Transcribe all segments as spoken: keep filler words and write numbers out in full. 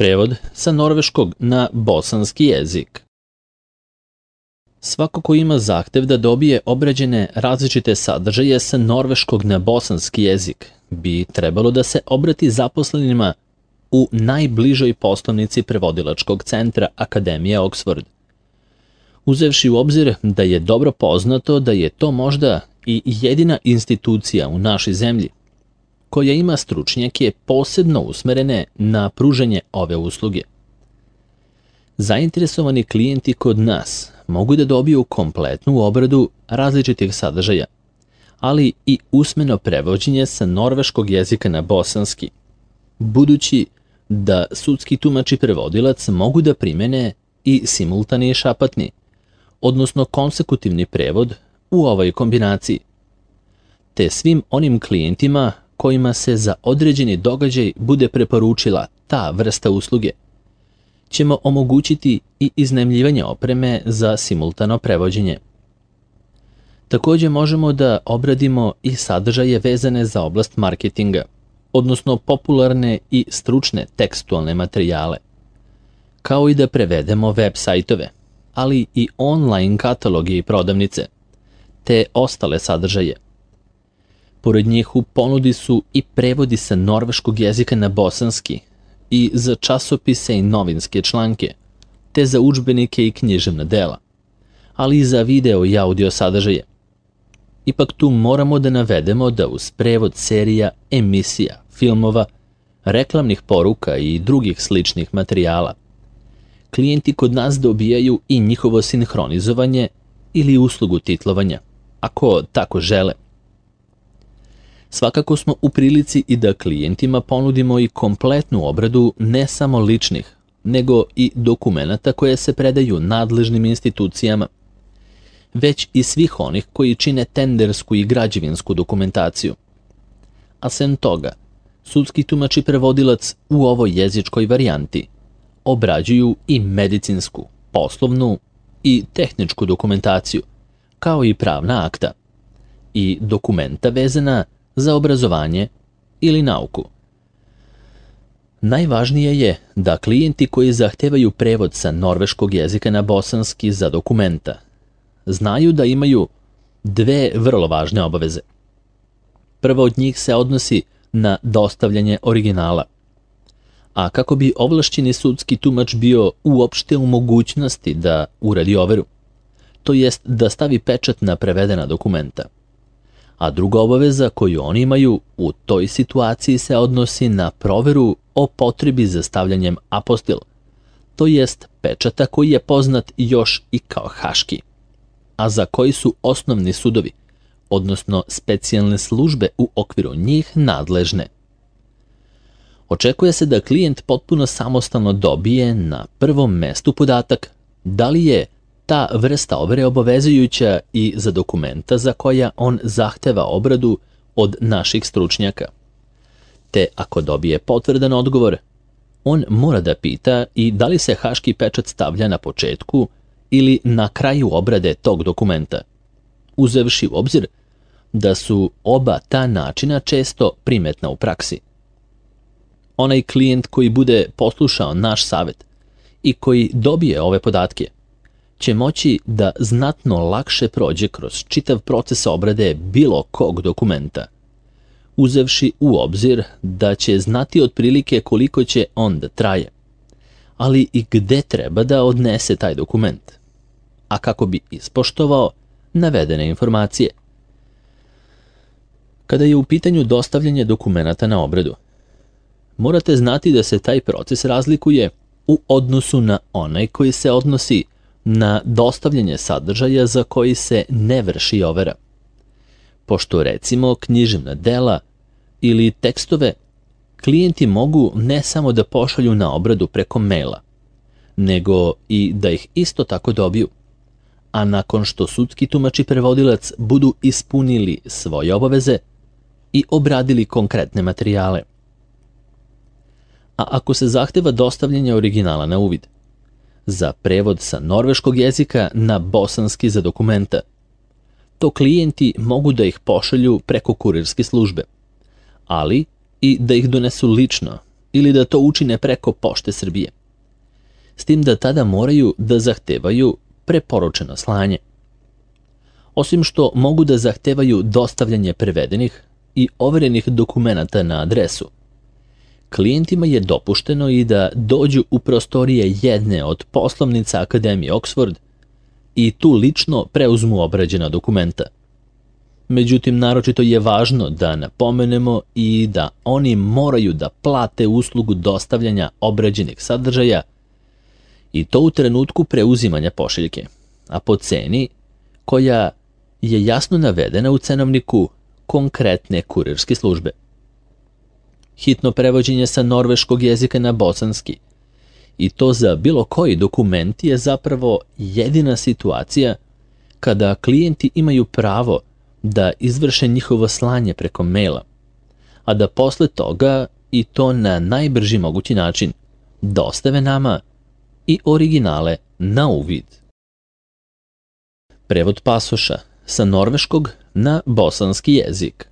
Prevod sa norveškog na bosanski jezik. Svako ko ima zahtev da dobije obrađene različite sadržaje sa norveškog na bosanski jezik bi trebalo da se obrati zaposlenima u najbližoj poslovnici prevodilačkog centra Akademije Oxford. Uzevši u obzir da je dobro poznato da je to možda i jedina institucija u našoj zemlji koja ima stručnjake posebno usmerene na pružanje ove usluge. Zainteresovani klijenti kod nas mogu da dobiju kompletnu obradu različitih sadržaja, ali i usmeno prevođenje sa norveškog jezika na bosanski, budući da sudski tumač i prevodilac mogu da primene i simultani i šapatni, odnosno konsekutivni prevod u ovoj kombinaciji, te svim onim klijentima kojima se za određeni događaj bude preporučila ta vrsta usluge, ćemo omogućiti i iznajmljivanje opreme za simultano prevođenje. Također možemo da obradimo i sadržaje vezane za oblast marketinga, odnosno popularne i stručne tekstualne materijale, kao i da prevedemo web sajtove, ali i online kataloge i prodavnice, te ostale sadržaje. Pored njih u ponudi su i prevodi sa norveškog jezika na bosanski i za časopise i novinske članke, te za udžbenike i književna dela, ali i za video i audio sadržaje. Ipak tu moramo da navedemo da uz prevod serija, emisija, filmova, reklamnih poruka i drugih sličnih materijala, klijenti kod nas dobijaju i njihovo sinhronizovanje ili uslugu titlovanja, ako tako žele. Svakako smo u prilici i da klijentima ponudimo i kompletnu obradu ne samo ličnih, nego i dokumenata koje se predaju nadležnim institucijama, već i svih onih koji čine tendersku i građevinsku dokumentaciju. A sem toga, sudski tumač i prevodilac u ovoj jezičkoj varijanti obrađuju i medicinsku, poslovnu i tehničku dokumentaciju, kao i pravna akta i dokumenta vezana za obrazovanje ili nauku. Najvažnije je da klijenti koji zahtevaju prevod sa norveškog jezika na bosanski za dokumenta znaju da imaju dve vrlo važne obaveze. Prva od njih se odnosi na dostavljanje originala, a kako bi ovlašćeni sudski tumač bio uopšte u mogućnosti da uradi overu, to jest da stavi pečat na prevedena dokumenta. A druga obaveza koju oni imaju u toj situaciji se odnosi na proveru o potrebi za stavljanjem apostil, to jest pečata koji je poznat još i kao haški, a za koji su osnovni sudovi, odnosno specijalne službe u okviru njih nadležne. Očekuje se da klijent potpuno samostalno dobije na prvom mestu podatak da li je ta vrsta overe obavezujuća i za dokumenta za koja on zahteva obradu od naših stručnjaka. Te ako dobije potvrdan odgovor, on mora da pita i da li se haški pečat stavlja na početku ili na kraju obrade tog dokumenta, uzevši u obzir da su oba ta načina često primetna u praksi. Onaj klijent koji bude poslušao naš savjet i koji dobije ove podatke će moći da znatno lakše prođe kroz čitav proces obrade bilo kog dokumenta, uzevši u obzir da će znati otprilike koliko će on da traje, ali i gde treba da odnese taj dokument, a kako bi ispoštovao navedene informacije. Kada je u pitanju dostavljanje dokumenata na obradu, morate znati da se taj proces razlikuje u odnosu na onaj koji se odnosi na dostavljanje sadržaja za koji se ne vrši overa. Pošto recimo književna dela ili tekstove klijenti mogu ne samo da pošalju na obradu preko maila, nego i da ih isto tako dobiju, a nakon što sudski tumač i prevodilac budu ispunili svoje obaveze i obradili konkretne materijale. A ako se zahteva dostavljanje originala na uvid, za prevod sa norveškog jezika na bosanski za dokumenta, to klijenti mogu da ih pošalju preko kurirske službe, ali i da ih donesu lično ili da to učine preko Pošte Srbije. S tim da tada moraju da zahtevaju preporučeno slanje. Osim što mogu da zahtevaju dostavljanje prevedenih i overenih dokumenata na adresu, klijentima je dopušteno i da dođu u prostorije jedne od poslovnica Akademije Oxford i tu lično preuzmu obrađena dokumenta. Međutim, naročito je važno da napomenemo i da oni moraju da plate uslugu dostavljanja obrađenih sadržaja i to u trenutku preuzimanja pošiljke, a po ceni koja je jasno navedena u cenovniku konkretne kurirske službe. Hitno prevođenje sa norveškog jezika na bosanski i to za bilo koji dokument je zapravo jedina situacija kada klijenti imaju pravo da izvrše njihovo slanje preko maila, a da posle toga i to na najbrži mogući način dostave nama i originale na uvid. Prevod pasoša sa norveškog na bosanski jezik.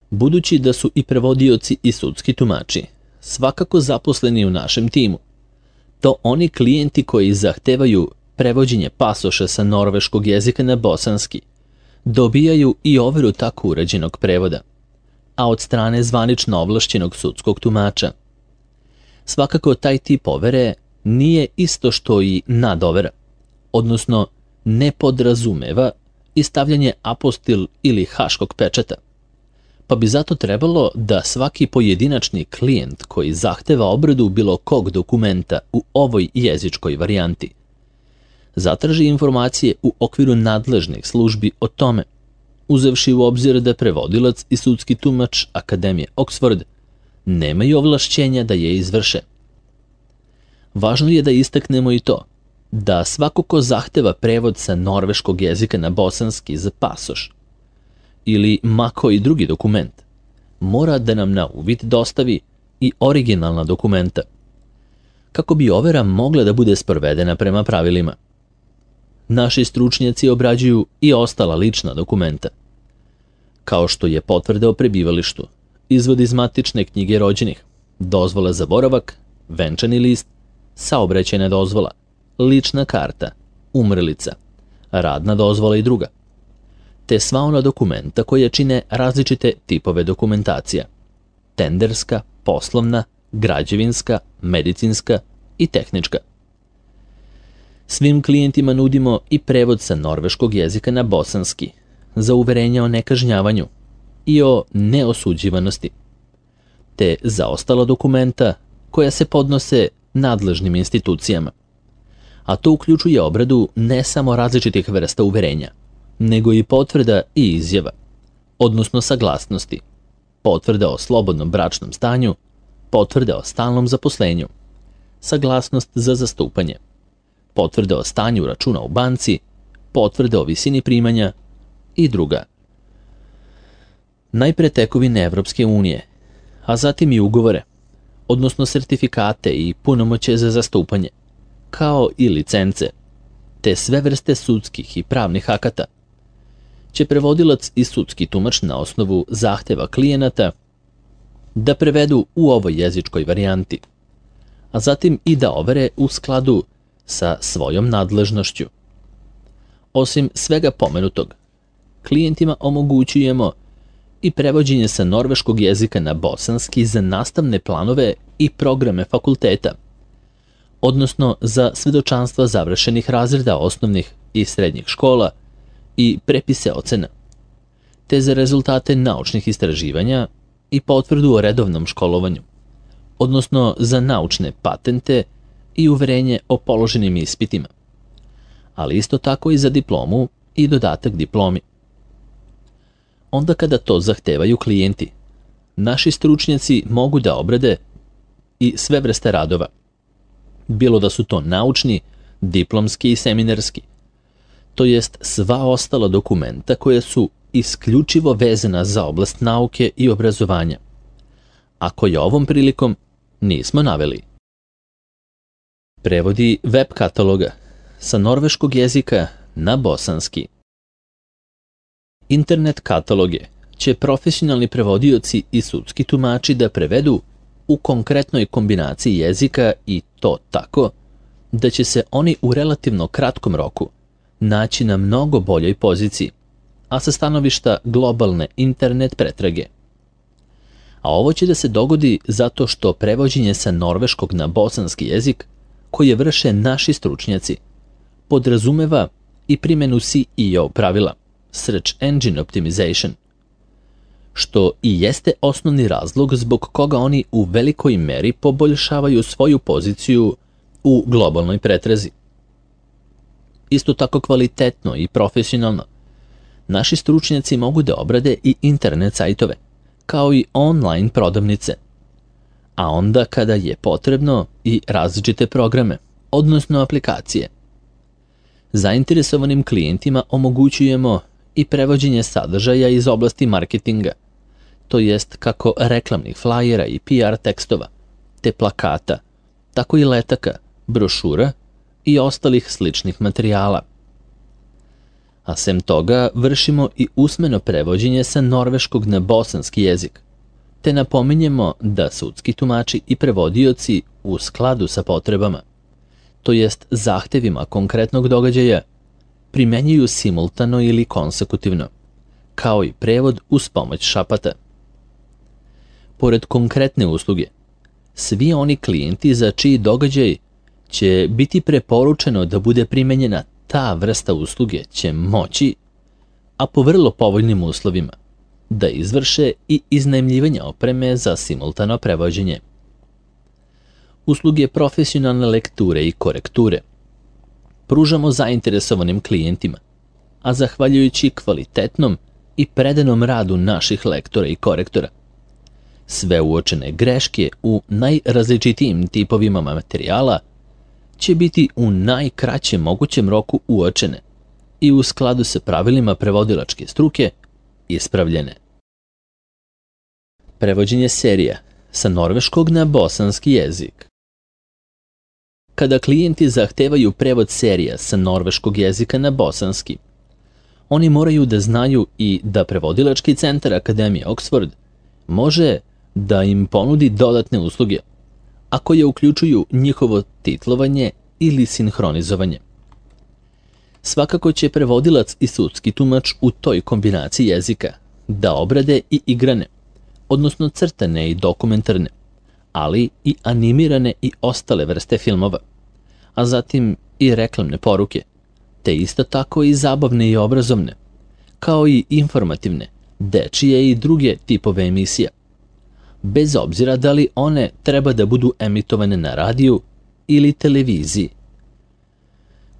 Budući da su i prevodioci i sudski tumači svakako zaposleni u našem timu, to oni klijenti koji zahtevaju prevođenje pasoša sa norveškog jezika na bosanski dobijaju i overu tako urađenog prevoda, a od strane zvanično ovlašćenog sudskog tumača. Svakako taj tip overe nije isto što i nadovera, odnosno ne podrazumeva i stavljanje apostil ili haškog pečata, pa bi zato trebalo da svaki pojedinačni klijent koji zahteva obradu bilo kog dokumenta u ovoj jezičkoj varijanti zatraži informacije u okviru nadležnih službi o tome, uzevši u obzir da prevodilac i sudski tumač Akademije Oxford nemaju ovlašćenja da je izvrše. Važno je da istaknemo i to da svako ko zahteva prevod sa norveškog jezika na bosanski za pasoš ili ma koji drugi dokument, mora da nam na uvid dostavi i originalna dokumenta, kako bi overa mogla da bude sprovedena prema pravilima. Naši stručnjaci obrađuju i ostala lična dokumenta, kao što je potvrda o prebivalištu, izvod iz matične knjige rođenih, dozvola za boravak, venčani list, saobraćajna dozvola, lična karta, umrlica, radna dozvola i druga, te sva ona dokumenta koje čine različite tipove dokumentacija, tenderska, poslovna, građevinska, medicinska i tehnička. Svim klijentima nudimo i prevod sa norveškog jezika na bosanski za uverenja o nekažnjavanju i o neosuđivanosti, te za ostala dokumenta koja se podnose nadležnim institucijama, a to uključuje obradu ne samo različitih vrsta uverenja, nego i potvrda i izjava, odnosno saglasnosti, potvrda o slobodnom bračnom stanju, potvrda o stalnom zaposlenju, saglasnost za zastupanje, potvrde o stanju računa u banci, potvrde o visini primanja i druga. Najpre tekovine Evropske unije, a zatim i ugovore, odnosno sertifikate i punomoćje za zastupanje, kao i licence, te sve vrste sudskih i pravnih akata, će prevodilac i sudski tumač na osnovu zahteva klijenata da prevedu u ovoj jezičkoj varijanti, a zatim i da overe u skladu sa svojom nadležnošću. Osim svega pomenutog, klijentima omogućujemo i prevođenje sa norveškog jezika na bosanski za nastavne planove i programe fakulteta, odnosno za svedočanstva završenih razreda osnovnih i srednjih škola i prepise ocena, te za rezultate naučnih istraživanja i potvrdu o redovnom školovanju, odnosno za naučne patente i uverenje o položenim ispitima, ali isto tako i za diplomu i dodatak diplomi. Onda kada to zahtevaju klijenti, naši stručnjaci mogu da obrade i sve vrste radova, bilo da su to naučni, diplomski i seminarski, to jest sva ostala dokumenta koja su isključivo vezana za oblast nauke i obrazovanja, a koje ovom prilikom nismo naveli. Prevodi web kataloga sa norveškog jezika na bosanski. Internet kataloge će profesionalni prevodioci i sudski tumači da prevedu u konkretnoj kombinaciji jezika i to tako da će se oni u relativno kratkom roku naći na mnogo boljoj poziciji, a sa stanovišta globalne internet pretrage. A ovo će da se dogodi zato što prevođenje sa norveškog na bosanski jezik, koje vrše naši stručnjaci, podrazumeva i primjenu C E O pravila, Search Engine Optimization, što i jeste osnovni razlog zbog koga oni u velikoj meri poboljšavaju svoju poziciju u globalnoj pretrazi. Isto tako kvalitetno i profesionalno, naši stručnjaci mogu da obrade i internet sajtove, kao i online prodavnice, a onda kada je potrebno i različite programe, odnosno aplikacije. Zainteresovanim klijentima omogućujemo i prevođenje sadržaja iz oblasti marketinga, to jest kako reklamnih flajera i P R tekstova, te plakata, tako i letaka, brošura i ostalih sličnih materijala. A sem toga vršimo i usmeno prevođenje sa norveškog na bosanski jezik, te napominjemo da sudski tumači i prevodioci u skladu sa potrebama, to jest zahtevima konkretnog događaja, primenjuju simultano ili konsekutivno, kao i prevod uz pomoć šapata. Pored konkretne usluge, svi oni klijenti za čiji događaj će biti preporučeno da bude primenjena ta vrsta usluge će moći, a po vrlo povoljnim uslovima, da izvrše i iznajmljivanje opreme za simultano prevođenje. Usluge profesionalne lekture i korekture pružamo zainteresovanim klijentima, a zahvaljujući kvalitetnom i predanom radu naših lektora i korektora, sve uočene greške u najrazličitijim tipovima materijala će biti u najkraćem mogućem roku uočene i u skladu sa pravilima prevodilačke struke ispravljene. Prevođenje serija sa norveškog na bosanski jezik. Kada klijenti zahtevaju prevod serija sa norveškog jezika na bosanski, oni moraju da znaju i da prevodilački centar Akademije Oxford može da im ponudi dodatne usluge, a koje uključuju njihovo titlovanje ili sinhronizovanje. Svakako će prevodilac i sudski tumač u toj kombinaciji jezika da obrade i igrane, odnosno crtane i dokumentarne, ali i animirane i ostale vrste filmova, a zatim i reklamne poruke, te isto tako i zabavne i obrazovne, kao i informativne, dečije i druge tipove emisija, bez obzira da li one treba da budu emitovane na radiju ili televiziji.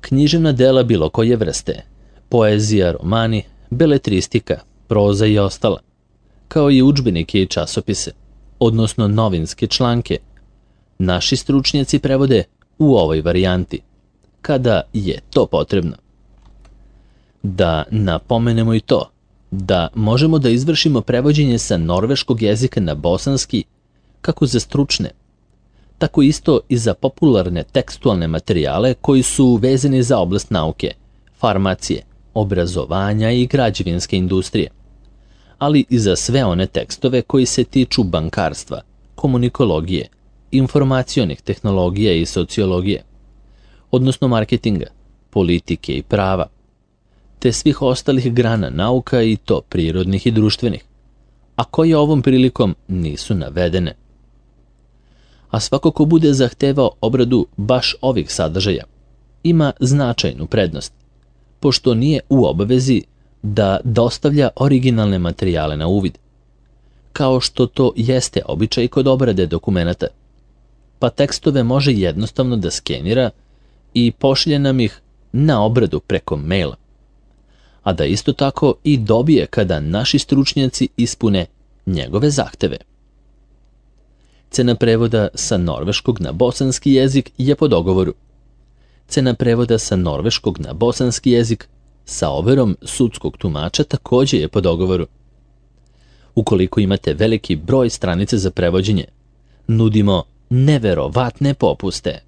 Književna dela bilo koje vrste, poezija, romani, beletristika, proza i ostala, kao i udžbenike i časopise, odnosno novinske članke, naši stručnjaci prevode u ovoj varijanti, kada je to potrebno. Da napomenemo i to, da možemo da izvršimo prevođenje sa norveškog jezika na bosanski kako za stručne, tako isto i za popularne tekstualne materijale koji su vezani za oblast nauke, farmacije, obrazovanja i građevinske industrije, ali i za sve one tekstove koji se tiču bankarstva, komunikologije, informacionih tehnologija i sociologije, odnosno marketinga, politike i prava, te svih ostalih grana nauka i to prirodnih i društvenih, a koje ovom prilikom nisu navedene. A svako ko bude zahtevao obradu baš ovih sadržaja, ima značajnu prednost, pošto nije u obavezi da dostavlja originalne materijale na uvid, kao što to jeste običaj kod obrade dokumenata, pa tekstove može jednostavno da skenira i pošalje nam ih na obradu preko maila, a da isto tako i dobije kada naši stručnjaci ispune njegove zahteve. Cena prevoda sa norveškog na bosanski jezik je po dogovoru. Cena prevoda sa norveškog na bosanski jezik sa overom sudskog tumača takođe je po dogovoru. Ukoliko imate veliki broj stranice za prevođenje, nudimo neverovatne popuste.